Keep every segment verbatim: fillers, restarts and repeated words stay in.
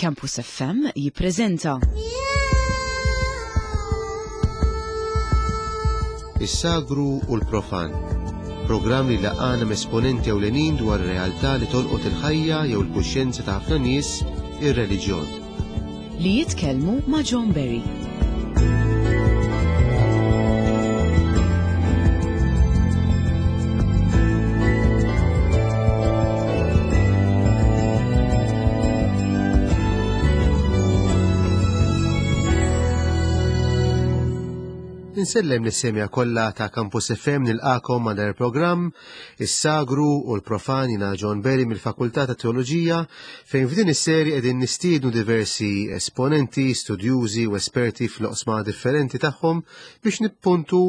Campus F M jippreżenta Is-Sagru u l-Profan. Programm li jlaqqagħna m'esponenti ewlenin dwar realtà li tolqot il-ħajja jew il-kuxjenza ta' ħafna nies, ir-reliġjon. Li jitkellmu ma' John Berry. Insellem lis-semmiegħa kollha ta' Campus F M, nilqagħkom ma' dan il-programm Is-Sagru u l-Profan. Jiena John Berry mill-Fakultà ta' Teoloġija, fejn f'din is-serje qegħdin nistiednu diversi esponenti, studjużi u esperti fl-oqsma differenti tagħhom biex nippuntu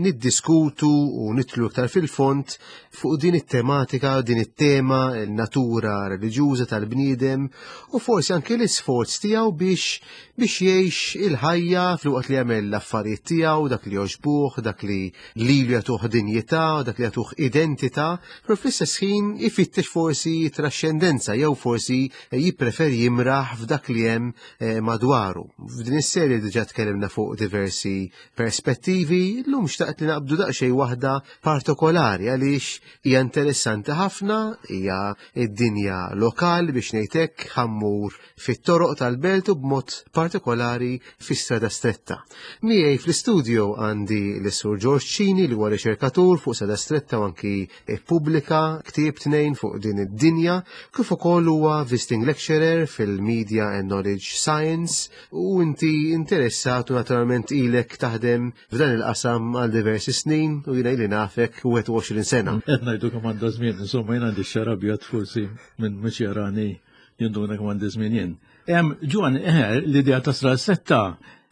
niddiskutu u nidħlu iktar fil-fond fuq din it-tematika, din it-tema, il-natura reliġjuża tal-bniedem u forsi anke l-isforz tiegħu biex biex jgħix il-ħajja filwaqt li jagħmel l-affarijiet tiegħu, dak li jogħġbuh, dak li lilu jagħtuh dinjità, dak li jagħtuh identità, però fl-istess ħin ifittex forsi trascendenza jew forsi jippreferi jimraħ f'dak li hemm eh, madwaru. F'din is-serje diġà tkellimna fuq diversi perspettivi, llum xtaqt li naqbdu daqsxejn waħda partikolari għaliex hija interessanti ħafna, hija id-dinja lokali biex ngħidlek, ħa mmur fit-toroq tal-belt u b'mod partikolari fi Strada Stretta. Miegħi fl-istudio għandi l-Sur George Cini, li huwa riċerkatur fuq Strada Stretta u anki ippubblika ktieb tnejn fuq din id-dinja, kif ukoll huwa visiting lecturer fil-Media and Knowledge Science, u inti interessat u naturalment ilek taħdem f'dan il-qasam għal diversi snin u jiena ili nafek wieħed u għoxrin sena. Qed ngħidu kemm għandha żmien, insomma, jien għandi xagħar abjad, forsi minn mhux jarani jinduna kemm għandi żmien jien. Em, Ġwan, eh, l-idea ta' Strada Stretta,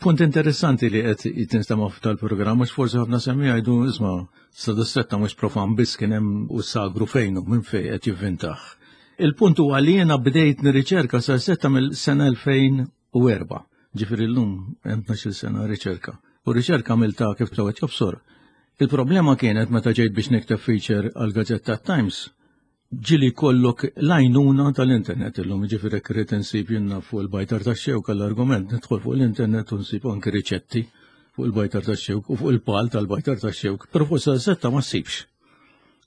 punt interessanti li qed tinstema' tal-programm, mhux forsi ħafna semmiegħa jgħidu, isma', Strada Stretta mhux profan biss kien hemm u sagru fejnu, minn fejn qed jivvintah. Il-punt huwa li jiena bdejt nirriċerka Strada Stretta mill-sena elfejn u erbgħa. Ġifieri llum hemm tnax-il sena riċerka. U riċerka għamilta kif tawet jobsor. Il-problema kienet meta ġejt biex nikteb feature għal gazzetta Times, ġieli jkollok l-għajnuna tal-internet illum, ġifieri rrid insib jiena fuq il-bajtar tax-xewk għall-argument, nidħol fuq l-internet u nsib anki riċetti fuq il-bajtar tax-xewk u fuq il-pal tal-bajtar tax-xewk, però fuq Strada ma ssibx.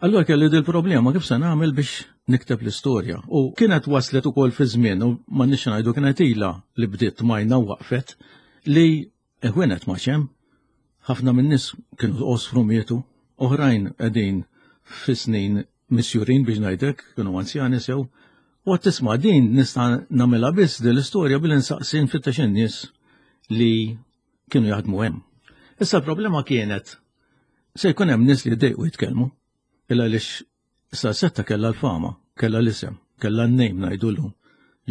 Allora kelli dil problema kif se nagħmel biex nikteb l-istorja. U kienet waslet ukoll fi żmien, u ma nix ngħidu kienet ilha li bdiet majna waqfet, li ħwienet ma hemm, ħafna minn nies kienu osfru mietu, oħrajn qegħdin fi snin misjurin biex ngħidlek, kienu anzjani sew, u għedt isma', din nista' nagħmilha biss din l-istorja billi nsaqsi, nfittex in-nies li kienu jaħdmu hemm. Issa l-problema kienet se jkun hemm nies li jdejqu jitkellmu, illa għaliex Strada Stretta kellha l-fama, kellha l-isem, kellha n-name ngħidulu,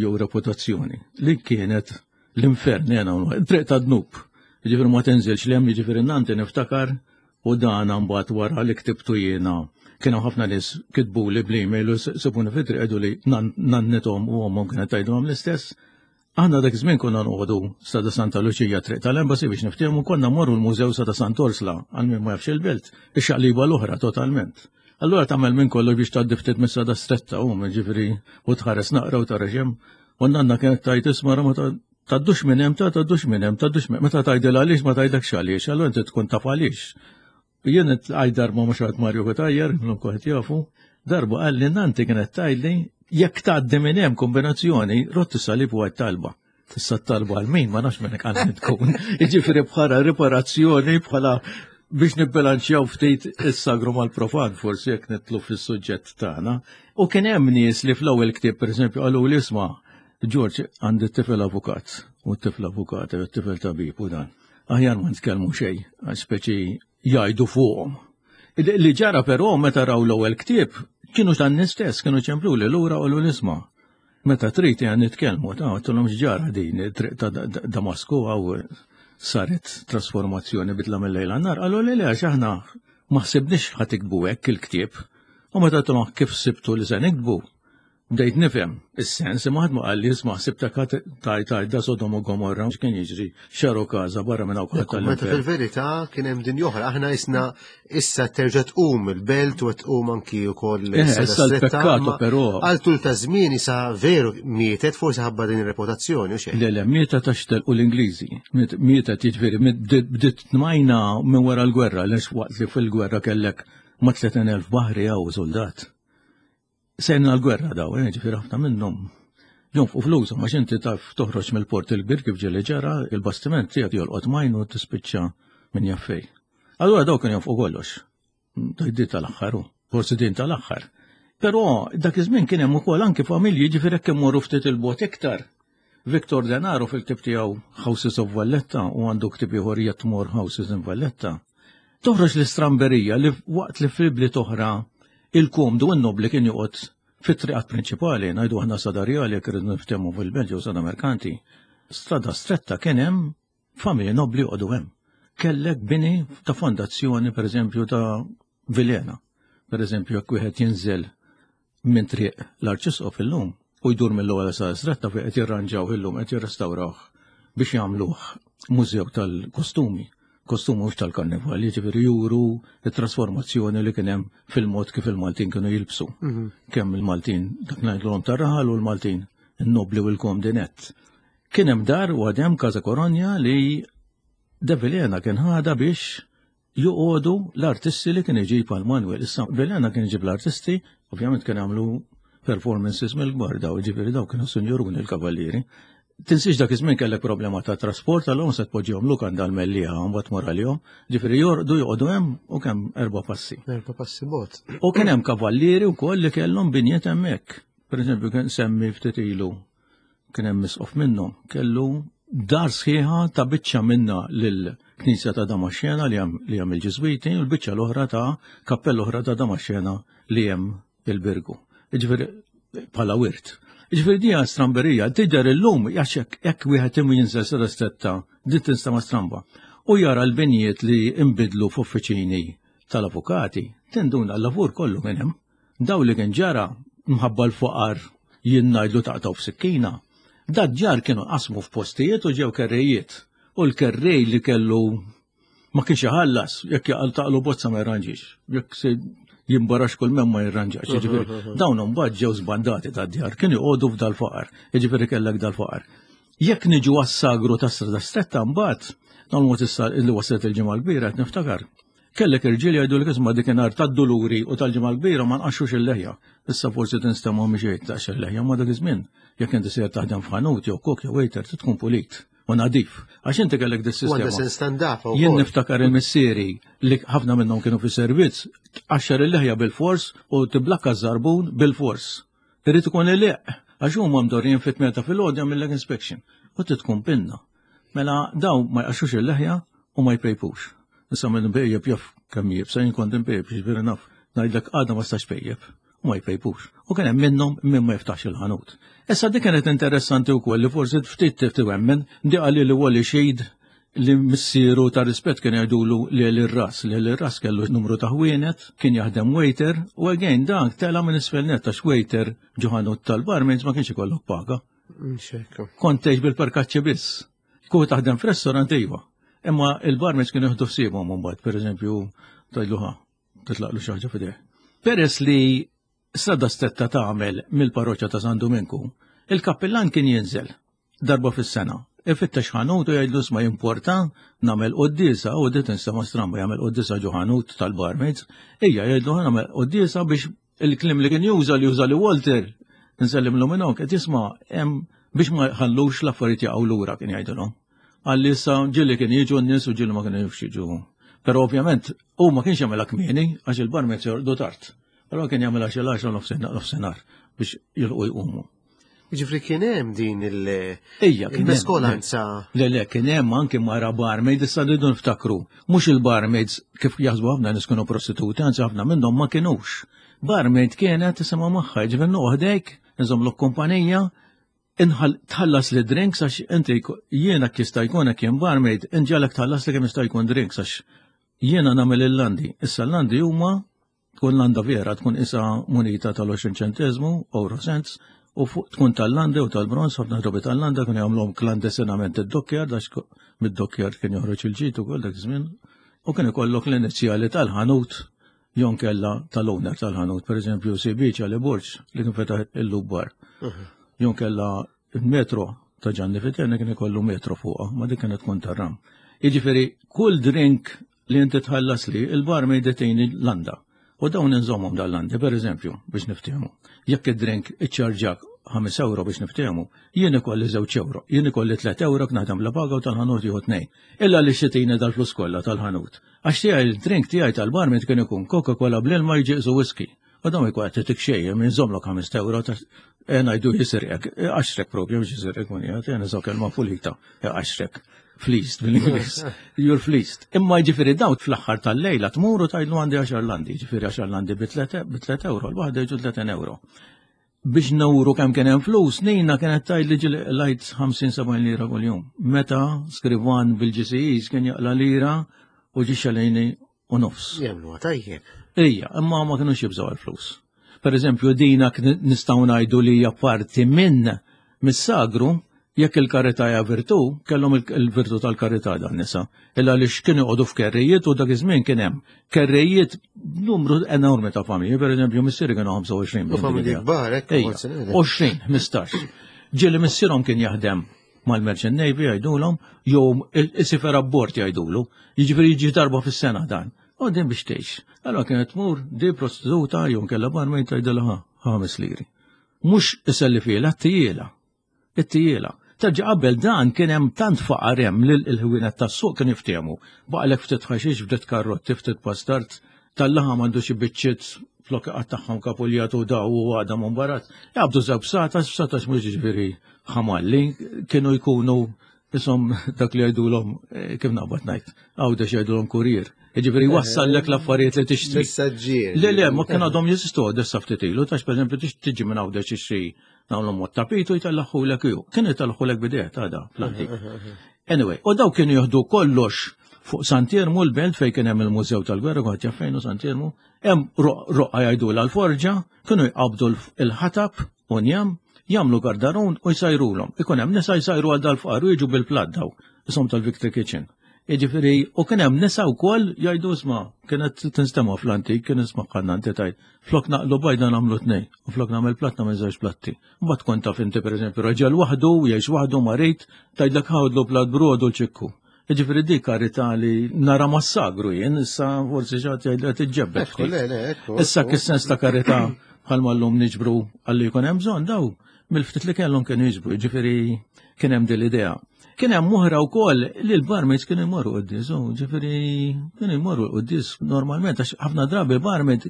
jew reputazzjoni, li kienet l-infern jena, triq ta' dnub. Ġifieri ma tinżilx 'l hemm, ġifieri nanti niftakar u dan mbagħad wara li ktibtu jiena. Kienu ħafna nies kitbu li bl-email u sabuni fit-triq għidu li nannithom u ommhom kienet tgħidulhom l-istess. Aħna dak iż-żmien konna noqogħdu Strada Santa Luċija, triq tal-Embassy biex niftehmu, konna morru l-Mużew Strada Sant'Orsla, għal min ma jafx il-belt, ix-xaqliba l-oħra totalment. Allura tagħmel minn kollu biex tgħaddi ftit mis-Strada Stretta u ġifieri u tħares naqra u tara x'hemm. U nanna kienet tgħid, isma', ma tgħaddux minn hemm, ta' tgħaddux minn hemm, tgħaddux minn. Meta tgħidilha għaliex, ma tgħidlekx għaliex, allura inti tkun taf għaliex. Jien għaj darba mhux għad Mario Cutajar, illum kulħadd jafu, darba qal li nanti kienet tgħidli jekk tgħaddi minn hemm kombinazzjoni, rott salib u għid talba. Tista' talba għal min, ma nafx minn għal tkun. Jiġifieri bħala riparazzjoni, bħala biex nibbilanċjaw ftit is-sagru mal-profan, forsi jekk nidħlu fis-suġġett tagħna. U kien hemm nies li fl-ewwel ktieb, pereżempju, qalu li isma', George, għandi tifel avukat, u t-tifel avukat, u t-tifel tabib u dan. Aħjar ma nitkellmu xejn, għax speċi jgħidu fuqhom. Li ġara però meta raw l-ewwel ktieb, kienu tan stess, kienu ċemplu li lura u l-isma'. Meta trid għan nitkellmu, ta' għedtilhom x'ġara, din triq ta' Damasku għaw saret trasformazzjoni, bidla mill-lejl għan-nhar, qalu li le, għax aħna ma ħsibniex ħa tiktbu hekk il-ktieb. U meta għedtilhom kif sibtu li se niktbu, Bdejt nifhem is-sens, imma ħadd ma qalli isma' ħsibtek taj taj da Sodom u Gomorra x'kien jiġri x'għarukaża barra minn hawn kulħadd Meta tal-infern. fil-verità kien hemm din oħra, aħna isna issa terġa' tqum il-belt u tqum anki wkoll Eh, issa l-peccato però Għal tul ta' żmien issa veru mietet forsi ħabba din ir-reputazzjoni u xejn. Le, le, mietet għax telqu l-Ingliżi. Miet- Mietet jiġifieri, bdiet bdiet tmajna minn wara l-gwerra, għax waqt li fil-gwerra kellek ma' tletin elf baħri għaw soldat. Sejna l-gwerra daw, eh, ġifieri ħafna minnhom. Jonfqu flushom, għax inti taf toħroġ mill-port il-kbir kif ġieli ġara, il-bastiment tiegħek jolqot majn u tispiċċa minn jaf fejn. Allura daw kienu jonfqu kollox. Tajdi tal-aħħar, u, forsi din tal-aħħar. Però dak iż-żmien kien hemm ukoll anki familji ġifieri jekk immorru ftit il-bogħod iktar. Victor Denaro fil-ktieb tiegħu Houses of Valletta u għandu ktieb ieħor Yet More Houses in Valletta. Toħroġ l-istramberija li waqt li fil-bliet oħra il-komdu n-nobli kien joqgħod fit-triqat prinċipali, ngħidu aħna Strada Rjali jekk irridu niftehmu fil-Belġju u Strada Merkanti. Strada Stretta kien hemm familji nobli joqogħdu hemm. Kellek bini ta' fondazzjoni, per eżempju, ta' Vilhena. Per eżempju, jekk wieħed jinżel minn triq l-Arċisqof illum u jdur mill-ewwel sa Stretta fejn qed jirranġaw illum qed jirrestawrawh biex jagħmluh mużew tal-kostumi. Kostumi mhux tal-karnival, jiġifieri juru it-trasformazzjoni li kien hemm fil-mod kif il-Maltin kienu jilbsu. Kemm il-Maltin dak ngħidulhom tar-raħal u l-Maltin in-nobli u l-komdi net. Kien hemm dar u għadhem Casa Koronja li De Vilhena kien ħada biex joqogħdu l-artisti li kien iġib għal Manuel. Issa Vilhena kien iġib l-artisti, ovvjament kien jagħmlu performances mill-kbar daw, ġifieri daw kienu sinjuruni l-kavallieri. Tinsiex dak iż-żmien kellek problema ta' trasport, allura se tpoġġihom lukanda l-Mellieħa mbagħad tmur għalihom. Ġifieri jorqdu joqogħdu hemm u kemm erba' passi. Erba' passi bogħod. U kien hemm kavallieri wkoll li kellhom binjiet hemmhekk. Per eżempju, kien semmi ftit ilu kien hemm misqof minnhom, kellu dar sħiħa ta' biċċa minna lill-Knisja ta' Damaxxena li hemm li hemm il-Ġiżwiti u l-biċċa l-oħra ta' kappella oħra ta' Damaxxena li hemm il-Birgu. Jiġifieri bħala wirt. Jiġifieri dija stramberija, tidher illum għax hekk jekk wieħed imu jinżel Strada Stretta, din tinstama stramba. U jara l-binjiet li imbidlu f'uffiċini tal-avukati, tinduna l-lavur kollu minn hemm. Daw li kien ġara mħabba l-faqar jien ngħidlu taqtaw f'sikkina. Dat ġar kienu qasmu f'postijiet u ġew kerrejiet. U l-kerrej li kellu ma kienx iħallas, jekk jaqal taqlu bozza ma jirranġix. Jekk se jimbarax kull mem ma jirranġax. Jiġifieri dawn imbagħad ġew żbandati tad-djar, kienu joqogħdu f'dal-faqar. Jiġifieri kellek dal-faqar. Jekk niġu għas-sagru ta' Strada Stretta mbagħad, dawn mod issa li waslet il-ġimgħa l-kbira qed niftakar. Kellek irġiel jgħidu li isma' dikinhar tad-duluri u tal-ġimgħa l-kbira ma nqaxxux il-leħja. Issa forsi tinstema' mhix taqx il-leħja ma dak iż-żmien. Jekk inti sejjer taħdem f'ħanut jew kok jew waiter trid tkun pulit u nadif. Għax inti kellek U għandha dis-sistema. sens ta' Jien niftakar il-missieri li ħafna minnhom kienu fi servizz, tqaxxar il-leħja bil-fors u tiblakka żarbun bil-fors. Irid ikun iliq, għax huma mdorrijin fit-tmienja filgħodu jagħmillek inspection. U tkun pinna. Mela daw ma jqaxxux il-leħja u ma jpejpux. Issa minn pejjep jaf kemm jibsa jien kont impejjep jiġifieri naf ngħidlek għadha ma stax pejjep u ma jpejpux. U kien hemm minnhom min ma jiftaħx il-ħanut. Issa dik kienet interessanti wkoll li forsi ftit tiwemmen di qalli li Wally Xid li missieru ta' rispett kien jgħidulu li l-ras, li l-ras kellu numru ta' ħwienet, kien jaħdem waiter, u again dak tela minn isfel net għax waiter ġo ħanut tal-barmaids ma kienx ikollok paga. Kont tgħix bil-perkaċċi biss. Kieku taħdem f'restaurant iva. Imma il-barmaids kienu jieħdu ħsiebhom mbagħad, pereżempju, tgħidlu ħa, titlaqlu xi ħaġa f'idejh. Peress li Strada Stretta tagħmel mill-parroċċa ta' San Duminku, il-kappillan kien jinżel darba fis-sena. Ifittex ħanut u jgħidlu isma' jimporta nagħmel quddiesa u dit tinstema' stramba jagħmel quddiesa ġo ħanut tal-barmaids, ejja jgħidlu nagħmel quddiesa biex il-kliem li kien juża li juża li Walter nsellimlu minn hawn qed jisma' hemm biex ma jħallux l-affarijiet jaqgħu lura kien jgħidilhom. Għalli issa ġieli kien jiġu n-nies u ġieli ma kienu jiġu. Però ovvjament hu ma kienx jagħmilha kmieni għax il-barmaids jorqdu tard. Però kien jagħmilha xi l-għaxra nofsinhar biex jilqu jqumu. Ġifri kien hemm din il- Ejja, kien hemm. il-meskolanza. Le, le, kien hemm anke mara barmaid, issa rridu niftakru. Mhux il-barmaids kif jaħsbu ħafna nies kienu prostituti, anzi ħafna minnhom ma kinux. Barmaid kienet tisimgħu magħha, ġifieri noqgħodek, nżommlok kumpanija, inħal tħallas li drinks għax inti jiena jista' jkun hekk jien barmaid, inġalek tħallas li kemm jista' jkun drinks għax jiena nagħmel il-landi. Issa l-landi huma Tkun landa vera, tkun isa munita tal-għoxrin ċentesmu, euro cents, u fuq tkun tal-landa u tal-bronz, ħafna drabi tal-landa kienu jagħmluhom klandestinament id-dockyard, għax mid-dockyard kien joħroġ il-ġid ukoll dak iż-żmien, u kien ikollok l-inizjali tal-ħanut jew kella tal-owner tal-ħanut, per eżempju C B Charlie Borg li kien fetaħ il-Lubbar. Jew kella il-metro ta' Gianni Fiterni kien ikollu metro fuqha, ma dik kienet tkun tar-ram. Jiġifieri kull drink li inti tħallas li il-barmaid itini landa. U dawn inżommhom dal-landi, per eżempju, biex niftehmu. Jekk id-drink iċċarġak ħames euro biex niftehmu, jien ikolli żewġ euro, jien ikolli tliet euro naħdem la paga u tal-ħanut jieħu tnejn. Illa li xitini dal-flus kollha tal-ħanut. Għax tiegħi il-drink tiegħi tal-barmaid kien ikun Coca-Cola bl-ilma jiġi whisky. U dawn ikun qed titik xejn, inżommlok ħames euro ta' ngħidu jisirqek, għaxrek propju biex jisirqek mun jgħid, jena kelma pulita, għaxrek. Fleeced bil-Ingliż. You're fleeced. Imma ġifieri dawn fl-aħħar tal-lejla tmur u tgħidlu għandi għaxar landi, ġifieri għaxar landi bi tliet euro, l-waħda jiġu tletin euro. Biex nuru kemm kien hemm flus, Nina kienet tgħid li ġieli qlajt ħamsin sebgħin lira kuljum. Meta skrivan bil-G C Es kien jaqla lira u ġi xalejni u nofs. Jemnu tajjeb. Ija, imma ma kienux jibżgħu għal-flus. Per eżempju, dina nistgħu ngħidu li hija parti minn mis-sagru. Jekk il-karità hija virtù, kellhom il-virtù tal-karità dan nisa. Illa li x'kienu joqogħdu f'kerrijiet u dak iż-żmien kien hemm kerrijiet numru enormi ta' familji, per eżempju missieri kienu ħamsa u għoxrin. U familji kbar, hekk. għoxrin, ħmistax. Ġieli missierhom kien jaħdem mal-Merchant Navy jgħidulhom, jew il-seafarer abbord jgħidulu, jiġifieri jiġi darba fis-sena dan. U din biex tgħix. Allora kienet tmur di prostituta jew kellha barmaid tgħidilha ħames liri. Mhux iselli fiela, t-tijiela. It-tijiela. Terġa' qabel dan kien hemm tant faqar hemm li l-ħwienet tas-suq kien jiftehmu. Baqlek ftit ħaxix, ftit karrotti, ftit pastard, tal-laħam għandu xi biċċiet flok tagħhom kapuljat u daw u għadam u mbarat. Jabdu żewġ bsatas, bsatas mhux ġifieri ħamalli, kienu jkunu isom dak li jgħidulhom, eh, kif naqbad ngħid, Għawdex jgħidulhom kurier. Jiġifieri wassallek l-affarijiet li tixtri. Messaġġier. Le, le, ma kien għadhom jeżistu għadessa ftit ilu, tax per eżempju tiġi minn Għawdex tixtri nagħmlu mod tapitu jtellaħħulek ju. Kien jtellaħħulek bidejh ta' fl-antik. Anyway, u daw kienu jieħdu kollox fuq Sant'Iermu l-belt fejn kien hemm il-Mużew tal-Gwerra, kont jaf fejn hu Sant'Iermu, hemm roqqa jgħidu l-forġa, kienu jqabdu l-ħatab u njam, jagħmlu gardarun u jsajrulhom. Ikun hemm nisa jsajru għal dal-fqar u jiġu bil-plat daw, isom tal-Victory Kitchen. Jiġifieri, u kien hemm nisa wkoll jgħidu isma' kienet tinstema' fl-antik, kien isma' kannanti tajt. Flok naqlu bajda nagħmlu tnejn, u flok nagħmel platt nagħmel żewġ platti. Mbagħad kont taf inti, pereżempju, raġel waħdu, jgħix waħdu marit, tgħidlek ħawdlu plat brodu l-ċikku. Jiġifieri dik karità li nara massagru jien, issa forsi xi ħadd jgħid qed Ekku, le, le, ekku. Issa kis-sens ta' karità bħalma llum niġbru għalli jkun hemm bżonn, daw mill-ftit li kellhom kienu jiġbru, ġifieri kien hemm din l-idea. Kien hemm oħra wkoll li l-barmaids kienu jmorru quddies, u ġifieri kienu jmorru quddies normalment għax ħafna drabi barmaid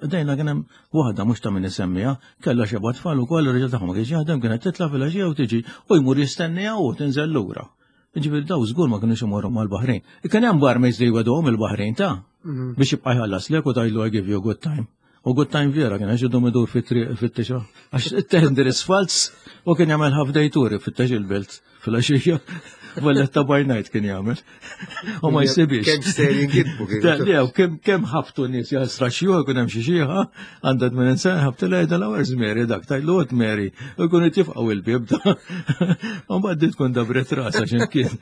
dejna kien hemm waħda mhux ta' min isemmiha, kellha xeba tfal ukoll, ir-raġel tagħhom ma kienx jaħdem, kienet titla' filgħaxija u tiġi u jmur jistenniha u tinżel lura. Ġifieri daw żgur ma kienux imorru mal-Baħrejn. Kien hemm barmaids li jwegħduhom il-Baħrejn ta' biex jibqa' jħallas lek u tgħidlu "I give you a good time". U good time vera kien għax idum idur fit-triq fit-tixa. Għax it-tender is false u kien jagħmel half day tour fit-tex il-belt fil-għaxija. Valletta by night kien jagħmel. U ma jsibix. Kemm ser jinkitbu kien. Le, kemm kemm ħabtu nies jasra xjuħ kun hemm xi xieħa għandha tmien sena ħabtu lejda l Mary dak tajlu għod Mary u jkunu tifqgħu il-bieb da. U mbagħad tkun dabret rasa x'imkien.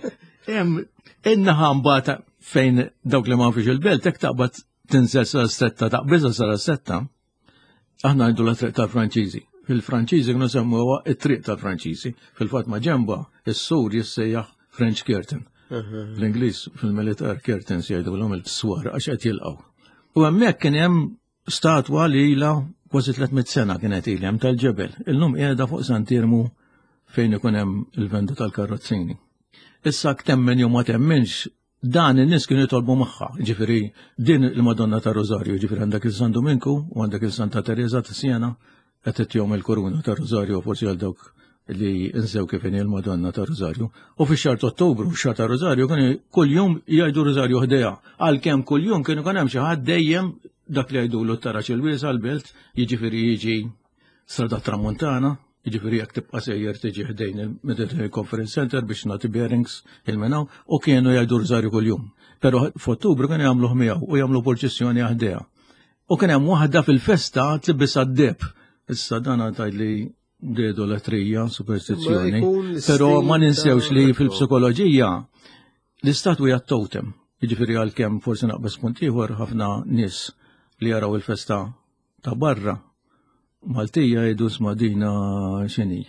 Hemm in-naħa mbagħad fejn dawk li ma fiex il-belt hekk taqbad tinżel sa setta taqbiża sa setta. Aħna ngħidu la triq tal-Franċiżi. Fil-Franċiżi kienu semmuha it-triq tal-Franċiżi. Fil-fatt ma ġemba is-sur jissejjaħ French Curtain. L-Ingliż fil-militar curtains jgħidu il-swar għax qed jilqgħu. U hemmhekk kien hemm statwa li ilha kważi tliet mitt sena kienet ilha hemm tal-ġebel. Illum qiegħda fuq Sant'Iermu fejn ikun hemm il-venda tal-karrozzini. Issa temmen jew ma temminx, dan in-nies kienu jitolbu magħha, ġifieri din il-Madonna ta' Rosario, ġifieri għandek il-San Dominku u għandek il-Santa Teresa ta' Siena, qed ittihom il-kuruna ta' Rosario forsi għal dawk li nsew kif inhi l-Madonna ta' Rosario. U fix-xahar ta' Ottubru, x-xahar ta' Rosario, kienu kuljum jgħidu Rosario ħdejha. Għalkemm kuljum kienu kien hemm xi ħadd dejjem dak li jgħidulu t-taraġ il-wiesa l-belt, jiġifieri jiġi Strada Tramuntana, jiġifieri jekk tibqa' sejjer tiġi ħdejn il-Mediterranean Conference Center biex nagħti bearings il-menaw, u kienu jgħidu Rosario kuljum. Però f'Ottubru kienu jagħmluh miegħu u jagħmlu purċissjoni ħdejha. U kien hemm waħda fil-festa tlibisha d-deheb. Issa dan tgħid li idoletrija, superstizzjoni. Però ma ninsewx li fil-psikoloġija l-istatwi għat-totem. Jiġifieri għalkemm forsi naqbeż punt ieħor, ħafna nies li jaraw il-festa ta' barra Maltija jgħidu, "Isma', dina x'inhi?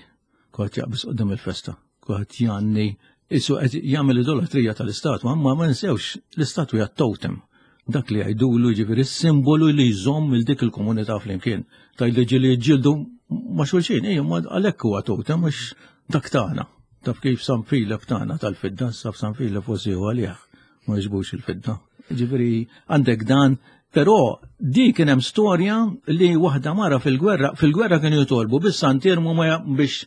Kulħadd jaqbeż quddiem il-festa, kulħadd jgħanni, qisu qed jagħmel idolatrija tal-istatwa," ma ma ninsewx l-istatwi għat-totem. Dak li jgħidulu, ġifieri simbolu li jżomm il dik il-komunità flimkien. Tgħid li ġildu ma' xulxin, ejja, ma għalhekk huwa totem, mhux dak tagħna. Taf kif San Filep tagħna tal-fidda, sa San Filep forsi huwa għalih, ma jġbux il-fidda. Ġifieri għandek dan. Però di kien hemm storja li waħda mara fil-gwerra, fil-gwerra kienu jitolbu bis Sant'Iermu biex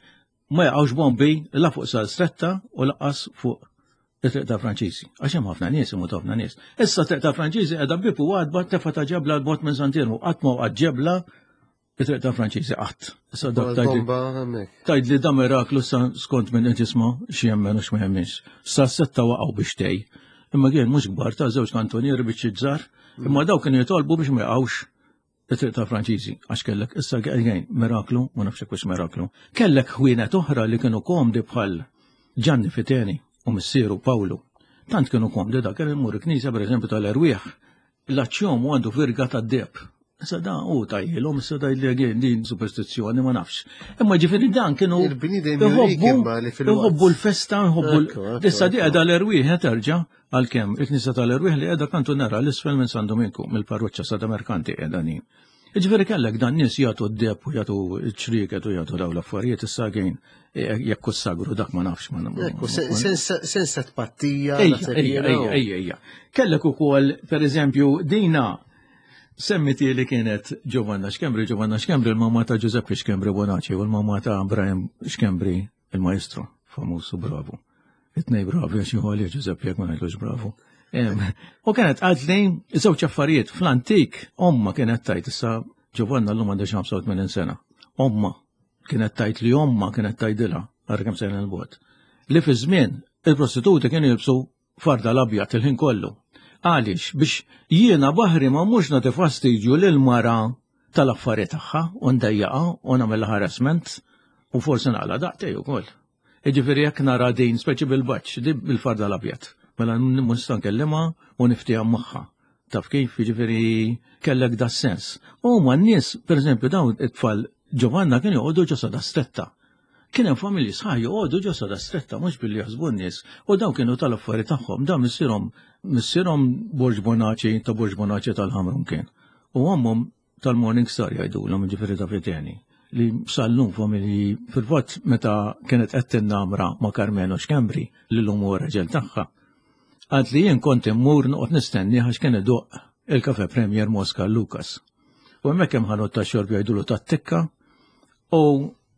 ma jaqgħux bombi la fuq Sal Stretta u lanqas fuq it-triq ta' Franċiżi. Għax hemm ħafna nies, imut ħafna nies. Issa triq ta' Franċiżi qiegħda bieb u għatba tefa ta' ġebla l-bot minn Sant'Iermu, qatt ma waqgħet ġebla it-triq ta' Franċiżi qatt. Issa dak tgħid li da miraklu, skont minn qed jisma' xi jemmen u x'ma jemminx. Sa setta waqgħu biex tej. Imma kien mhux kbar, ta' żewġ kantonieri biex żgħar. Imma daw kienu jitolbu biex ma jaqgħux it-triq ta' Franċiżi, għax kellek issa għajn miraklu, ma nafx hekk miraklu. Kellek ħwienet oħra li kienu komdi bħal Gianni Fiteni u missieru Pawlu. Tant kienu komdi da kien imur knisja, pereżempju tal-Erwieħ, l-aċċjom u għandu virga tad-deheb. Issa da u tajjilhom, issa da li din superstizzjoni, ma nafx. Imma ġifieri dan kienu jħobbu l-festa, jħobbu. Issa di qiegħda l-Erwieħ terġa', għalkemm il-knisja tal-Erwieħ li qiegħda kantu nara l-isfel minn San Dominku, mill-parroċċa Sada Merkanti qiegħda din. Ġifieri kellek dan nies jagħtu d-deheb u jagħtu ċrieket u jagħtu daw l-affarijiet. Issa għin jekk sagru dak ma nafx, ma Sensa tpattija. Ejja, ejja, ejja. Kellek ukoll, pereżempju, dina semmiti li kienet Giovanna Schembri, Giovanna Schembri il-mamma ta' Giuseppe Schembri Bonaci u l-mamma ta' Brian Schembri, il-maestro, famusu bravu. It-tnejn bravi, għax jħoli Giuseppe jekk ma ngħidlux bravu. U kienet għadli żewġ affarijiet. Fl-antik omma kienet tajt, issa Giovanna l-lum għandha ħamsa u tmenin sena. Omma kienet tajt li omma kienet tajdilha, għarra kemm sejna l-bot. Li fi żmien il-prostituti kienu jilbsu farda l-abjad il-ħin kollu. Għaliex? Biex jiena baħri ma mhux nagħti fastidju lil mara tal-affarijiet tagħha u ndejjaqa u nagħmel harassment u forsi naqla daqtej ukoll. Jiġifieri jekk nara din speċi bil-baċ, di bil-farda l-abjad, mela nista' nkellimha u niftiehem magħha. Taf kif, jiġifieri kellek da sens. U ma n-nies, per eżempju, dawn it-tfal Giovanna kienu joqogħdu ġo Sada Stretta. Kien hemm familji sħaħ joqogħdu ġo Sada Stretta, mhux billi jaħsbu n-nies. U dawn kienu tal-affari tagħhom, dawn missierhom missierhom Borġ Bonaci, ta' Borġ Bonaci tal-Ħamrun kien. U ommhom tal-Morning Star jgħidulhom, ġifieri ta' Fiteni, li sal-lum familji. Fil-fatt meta kienet qed tinnamra ma' Carmelo Schembri, li l-lum huwa raġel tagħha. Għad li jien kont immur noqgħod nistenni għax kien idoq il-Cafe Premier Mosca Lucas. U hemmhekk hemm ħanut ta' xorb jgħidulu tat-tikka u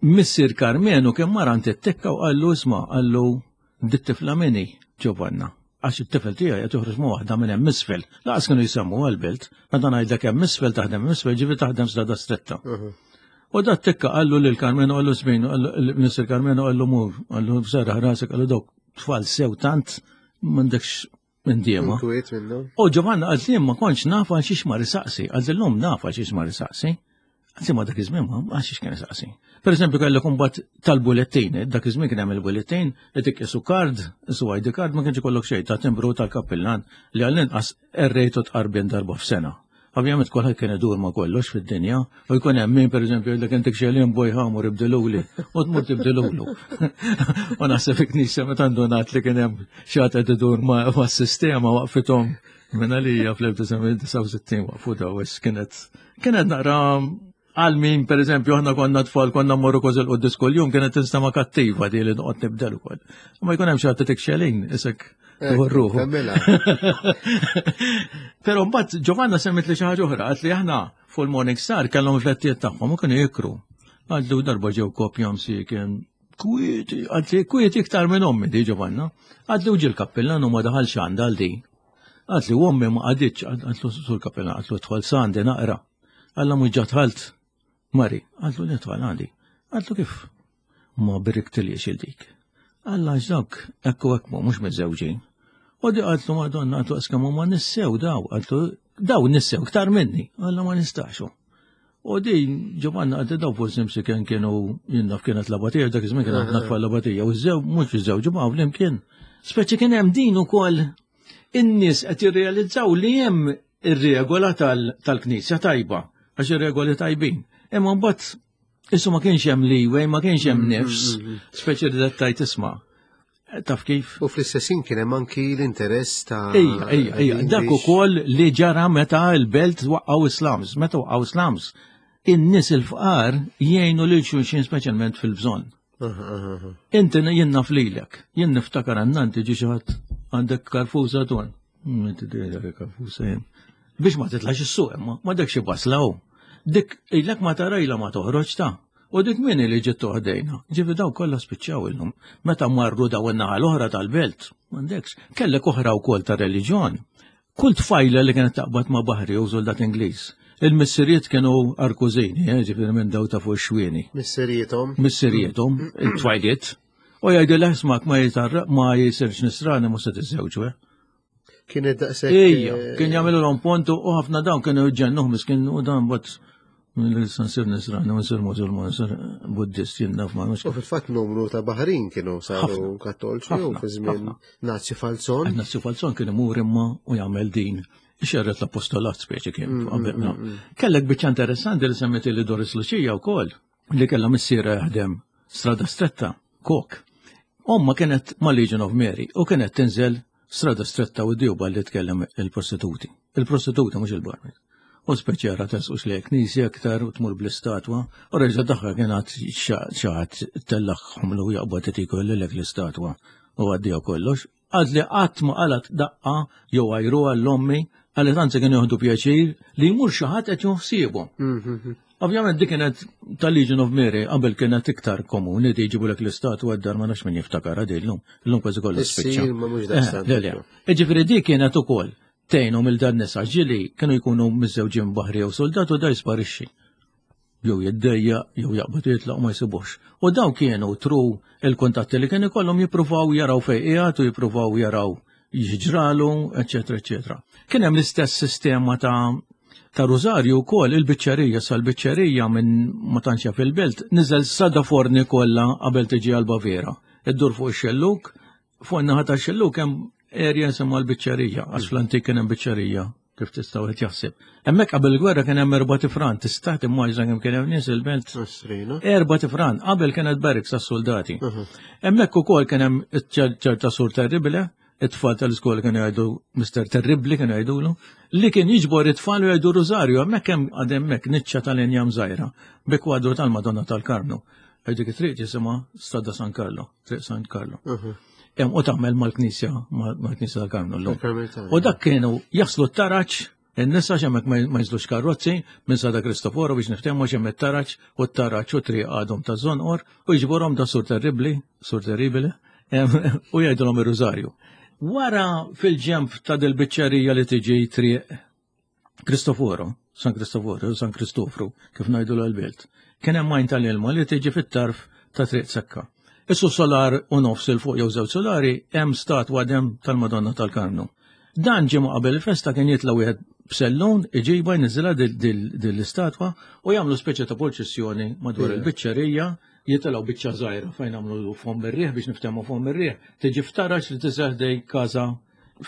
missier Carmenu kien mar għand it-tikka u qallu, "Isma'," qallu, "dit-tifla minni Giovanna? Għax it-tifel tiegħi qed joħroġ ma' waħda minn hemm isfel." Laqas kienu jsemmu għal-belt, meta ngħidlek hemm isfel taħdem isfel, ġifi taħdem Strada Stretta. U dat tikka qallu lil Carmenu, qallu smin, missier Carmenu qallu, "Mur," qallu, "serraħ rasek," qallu, "dawk tfal sew tant m'għandekx minn diema." Inkwiet minnhom. U Giovanna għalt li ma kontx naf għal xiex mar isaqsi, għalt l-lum naf għal xiex mar isaqsi. Għalt ma dak iż-żmien ma għal xiex kien isaqsi. Per eżempju kellek imbagħad tal-bullettin, dak iż-żmien kien hemm il-bullettin, itik isu card, isu I D card, ma kienx ikollok xejn ta' timbru tal-kappillan li għall-inqas errejtu tqarbin darba f'sena. Ovvjament kulħadd kien idur ma' kollox fid-dinja u jkun hemm min, pereżempju, jgħidlek, "Intik xelin boj ħamur ibdiluli," u tmur tibdilulu. U naħseb il-knisja meta ndunat li kien hemm xi ħadd qed idur ma' mas-sistema waqfithom minn għalija fl-elf disa' mija disgħa u sittin, waqfu daw għax kienet kienet naqra għal min, per eżempju, aħna konna tfal, konna mmorru kważi l-quddies kuljum, kienet tinstema kattiva di li noqgħod nibdel ukoll. Ma jkun hemm xi ħadd tik xelin, isek ruħu. Kammela. Però mbagħad Giovanna semmit li xi ħaġa oħra, għalt li aħna fuq il-Morning Star kellhom flettijiet tagħhom u kienu jikru. Għalt li darba ġew kopja msiken kwieti, għalt li kwieti iktar minn ommi di Giovanna. Għalt li uġi l-kappillan u ma daħalx għandha għal di. Għalt li ommi ma qagħditx, għalt sul kappillan, għalt lu dħol sandi naqra. Alla mhux ġa dħalt. Mari, għalt lu nidħol għandi. Għalt lu kif ma biriktiliex il-dik. Alla għax dawk ekku ekku mhux miżewġin. U di għaltlu, "Madonna," għaltlu, "għaskam ma nissew daw," għaltlu. Daw nissew iktar minni, għalla ma nistaxu. U din Ġovanna għaddi daw forsi msiken kienu jinnaf kienet l-abatija, dak iż-żmien kienet natfa l-abatija, u ż-żew mhux iż-żewġ ma' flimkien. Speċi kien hemm din ukoll in-nies qed jirrealizzaw li hemm ir-regola tal-Knisja tajba, għax ir-regoli tajbin. Imma mbagħad issu ma kienx hemm leeway, ma kienx hemm nifs, speċi li tajt isma'. Taf kif? U fl-istessin kien hemm anki l-interess ta' Ejja, ejja, ejja, dak ukoll li ġara meta l-belt waqqgħu slums, meta waqqgħu slums. In-nies il-fqar jgħinu lil xulxin speċjalment fil-bżonn. Inti jien naf lilek, jien niftakar għannanti ġi xi ħadd għandek karfusa ton. Inti dejja karfusa jien. Biex ma titlax is-suq imma, ma dak xi basla hu. Dik ilek ma tarajla ma toħroġ ta' U dik min li ġiet toħdejna. Ġifi daw kollha spiċċaw illum. Meta marru daw in-naħa l-oħra tal-belt, m'għandekx. Kellek oħra wkoll ta' reliġjon. Kull tfajla li kienet taqbad ma' baħri u soldat Ingliż. Il-missirijiet kienu arkużini, eh, ġifieri minn daw ta' fuq xwieni. Missirietom. Missirietom, il-tfajliet. U jgħidilha ismak ma jitarra ma jisirx nisrani mhux se tiżżewġu, eh. Kienet daqshekk. Ejja, kien jagħmlu l pontu u ħafna dawn kienu jġennuh miskin u dan bot nsir nisrani, nsir musulman, nsir buddist, jien naf ma nafx. U fil-fatt numru ta' Baħrin kienu saru kattolċi u fi żmien Nazzi Falzon. Nazzi Falzon kien imur imma u jagħmel din. Xerret l-apostolat speċi kien. Kellek biċċa interessanti li semmeti li Doris Lucia wkoll li kellha missiera jaħdem strada stretta, kok. Omma kienet ma' Legion of Mary u kienet tinżel strada stretta u d-djuba li tkellem il-prostituti. Il-prostituti mhux il-barmil. U speċjara tasqux li knisja aktar u tmur bl-istatwa, u reġa daħħa kienet xaħat tellaħħom lu jaqbad tiku l-lek l-istatwa u għaddija kollox. Għad li qatt ma qalat daqqa jew għajru għall-ommi, għalli tanzi kien joħdu pjaċir li jmur xi ħadd qed joħsiebu. Ovvjament dik kienet tal-Legion of Mary qabel kienet iktar komuni li jġibu lek l-istatwa d-dar ma nafx min jiftakar għadi llum, illum kważi kollha spiċċa. Ġifieri dik kienet ukoll tgħinhom il dan nisa ġili kienu jkunu miżżewġin baħri jew soldat u da jisparixxi. Jew jiddejja, jew jaqbad jitlaq ma jsibux. U daw kienu tru il-kuntatti li kien ikollhom jippruvaw jaraw fejn qiegħed u jippruvaw jaraw jiġralu, eċetera, eċetera. Kien hemm l-istess sistema ta' ta' Rużarju wkoll il-biċċerija sal-biċċerija minn ma tantx fil-belt niżel sada forni kollha qabel tiġi għal Baviera. Iddur fuq ix-xelluk, fuq in-naħa tax-xelluk hemm area jisimha l-biċċerija, għax fl-antik kien hemm biċċerija, kif tistgħu qed jaħseb. Hemmhekk qabel il-gwerra kien hemm erba' tifran, tista' timmaġina kemm kien hemm nies il-belt. Erba' tifran, qabel kienet barracks għas-soldati. Hemmhekk ukoll kien hemm ċerta sur terribile, it-tfal tal-iskola kienu jgħidu Mister Terribli kienu jgħidulu, li kien jiġbor it-tfal u jgħidu Rużarju, hemmhekk hemm għad hemmhekk niċċa tal-injam żgħira bi kwadru tal-Madonna tal-Karmnu. Dik it-triq jisimha Strada San Carlo, Triq San Carlo. Hemm u tagħmel mal-Knisja, mal-Knisja tal-Karmnu llum. U dak kienu jaslu t-taraġ, in-nisa x'hemmhekk ma jiżlux karozzi minn Sada Kristoforo biex niftehmu x'hemm it-taraġ u t-taraġ u triq għadhom ta' Żonqor u jiġborhom da Sur Terribli, Sur Terribile, u jgħidulhom ir-Rużarju. Wara fil-ġemp ta' dil-biċċerija li tiġi triq Kristoforo, San Kristoforo, San Kristofru, kif ngħidu l-belt, kien hemm majn tal-ilma li tiġi fit-tarf ta' triq Sekka. Issu solar u nofs il fuq jew żewġ solari hemm statwa dem tal-Madonna tal-Karmnu. Dan ġimgħa qabel il-festa kien jitla' wieħed b'sellun iġiba jniżilha dil-istatwa u jagħmlu speċi ta' purċissjoni madwar il-biċċerija, jitilgħu biċċa żgħira fejn għamlu fom ir-riħ biex niftehmu fom ir-riħ, tiġi ftarax li tiseħdej każa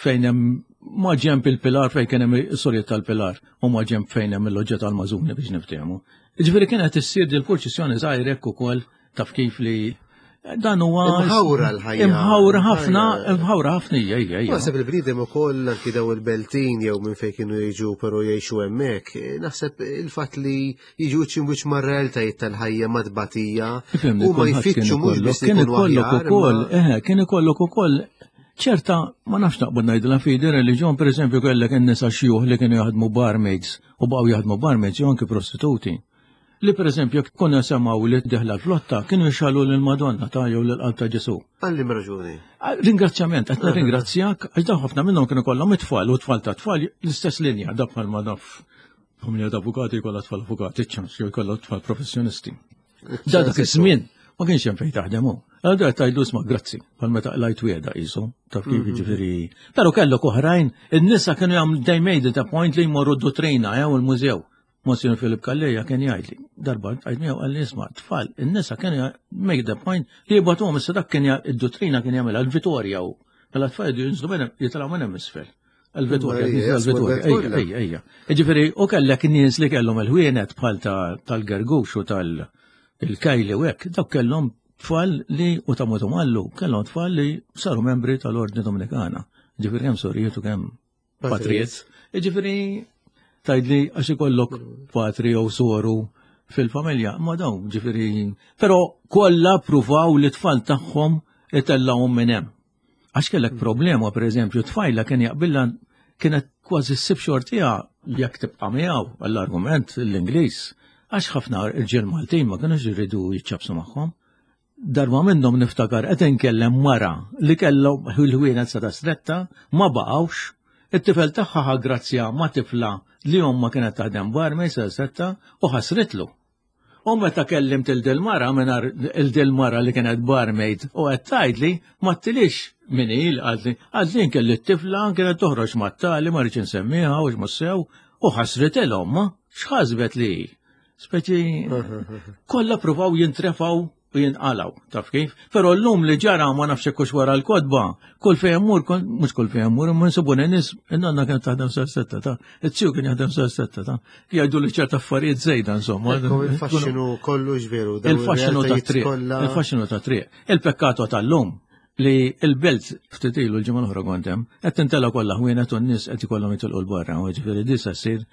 fejn hemm ma ġemp il-pilar fejn kien hemm is-sorjiet tal-pilar u ma ġemp fejn hemm il-loġġa tal-Mażuni biex niftehmu. Jiġifieri kienet issir dil-purċissjoni żgħira hekk ukoll taf kif li dan huwa imħawra l-ħajja. Imħawra ħafna, imħawra ħafna hija hija. Naħseb il-bniedem ukoll anki daw il-beltin jew minn fejn kienu jiġu però jgħixu hemmhekk, naħseb il-fatt li jiġu wiċċ mar-realtajiet tal-ħajja madbatija u ma jfittxu mhux biss kien ikollok ukoll, eħe, kien ikollok ukoll ċerta ma nafx naqbad ngħidilha fidi reliġjon, pereżempju kellek in-nisa xjuħ li kienu jaħdmu barmaids u baqgħu jaħdmu barmaids jew anki prostituti. Li per eżempju konna semgħu li deħla l-flotta kienu jxalu lill-Madonna ta' jew lill-Qalb ta' Ġesu. Għalli raġuni. Ringrazzjament, qed nirringrazzjak għax dawn ħafna minnhom kienu kollhom it-tfal u tfal ta' tfal l-istess linja dak bħal ma naf familja ta' avukati jkollha tfal avukati, ċans jew jkollha tfal professjonisti. Da dak iż-żmien Ma kienx hemm fejn taħdem hu. Allura tgħidlu isma' grazzi, bħal meta qlajt wiegħda qisu, taf kif jiġifieri. Però kellok oħrajn, in-nisa kienu jagħmlu they made it a point li jmorru d-duttrina jew il-mużew. Monsignor Filip Calleja kien jgħidli, darba għajd miegħu qalli isma' tfal, in-nisa kienu make the point li jibgħatuhom issa dak kien id-duttrina kien jagħmilha l-Vitorja u mela tfal jinżlu minn jitilgħu minn hemm isfel. Il-Vitorja, il-Vitorja, ejja, ejja, ejja. Ġifieri, u kellek nies li kellhom il-ħwienet bħal tal-Gergux u tal-Kajli u hekk, dawk kellhom tfal li u ta' Mallu, kellhom tfal li saru membri tal-Ordni Dominikana. Ġifieri kemm sorijiet u kemm patrijiet. Ġifieri tgħidli għax ikollok patri jew soru fil-familja, ma dawn ġifieri, però kollha pruvaw li tfal tagħhom itellgħuhom minn hemm. Għax kellek problema, per eżempju, tfajla kien jaqbilla kienet kważi ssib xortiha jekk tibqa' miegħu għall-argument l-Ingliż. Għax ħafna irġiel Maltin ma kienux jridu jiċċabsu magħhom. Darba minnhom niftakar qed inkellem mara li kellhom il-ħwienet sa stretta ma baqgħux. It-tifel tagħha ħa grazzja ma' tifla li omma kienet taħdem barmaid sa stretta u ħasritlu. U meta kellimt il-dil-mara mingħajr il-dil-mara li kienet barmaid u qed tgħidli ma ttilix min il qaltli qaltli kelli t-tifla kienet toħroġ mat-tali ma rridx insemmiha u x'mussew u ħasritilhom ma x'ħasbet li speċi kollha pruvaw jintrefaw u jinqalaw, taf kif? Però llum li ġara ma nafx hekk wara l-kotba, kull fejn mur, mhux kull fejn mur, imma nsibu nies, in-nanna kienet taħdem sa setta ta' it-tiju kien jaħdem sa setta ta' jgħidu li ċerta affarijiet żejda insomma. Il-faxxinu kollu ġveru. Il-faxxinu ta' triq. Il-faxxinu ta' triq. Il-pekkato tal-lum li il-belt ftit ilu l-ġimgħa l-oħra kont hemm, qed tintela kollha ħwienet u n-nies qed ikollhom jitilqu l-barra, u ġifieri disa ssir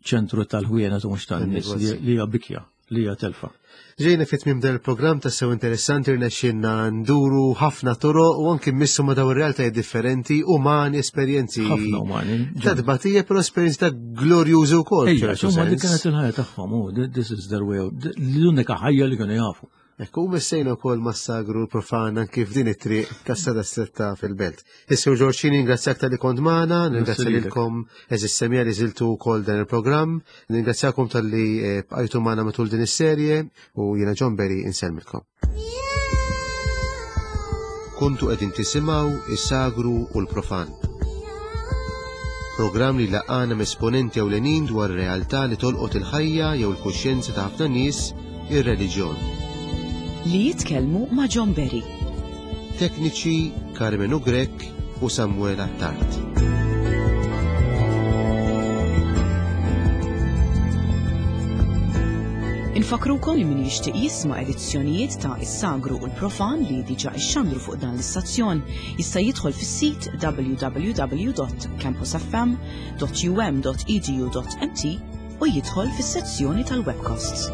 ċentru tal-ħwienet u mhux tan-nies li hija bikja, li hija telfa. Ġejna fit tmiem dan il-programm tassew interessanti, rnexxielna nduru ħafna toroq u anki mmissu ma' dawn ir-realtajiet differenti, umani, esperjenzi. Ħafna umani. Ta' tbatija, però esperjenzi ta' glorjużi wkoll. Ejja, insomma, dik kienet il-ħajja tagħhom, u this is their way, l-unika ħajja li kienu jafu. Ekku, u missejna wkoll mas-sagru profan anki f'din it-triq tas-Sada Stretta fil-belt. Is-Sur Ġorġini, ningrazzjak talli kont magħna, ningrazzja lilkom għeżież semmiegħa li żiltu wkoll dan il-programm, ningrazzjakom talli bqajtu magħna matul din is-serje u jiena John Berry insellmilkom. Kontu qegħdin tisimgħu is-sagru u l-profan. Programm li laqana esponenti ewlenin dwar realtà li tolqot il-ħajja jew il-kuxjenza ta' ħafna nies, ir-reliġjon. Li jitkellmu ma' John Berry. Tekniċi Carmenu Grech u Samuel Attard. Infakrukom li min jixtieq jisma' edizzjonijiet ta' Is-Sagru u l-Profan li diġà ixxandru fuq dan l-istazzjon jista' jidħol fis-sit w w w dot campus f m dot u m dot e d u dot m t u jidħol fis-sezzjoni tal-webcasts.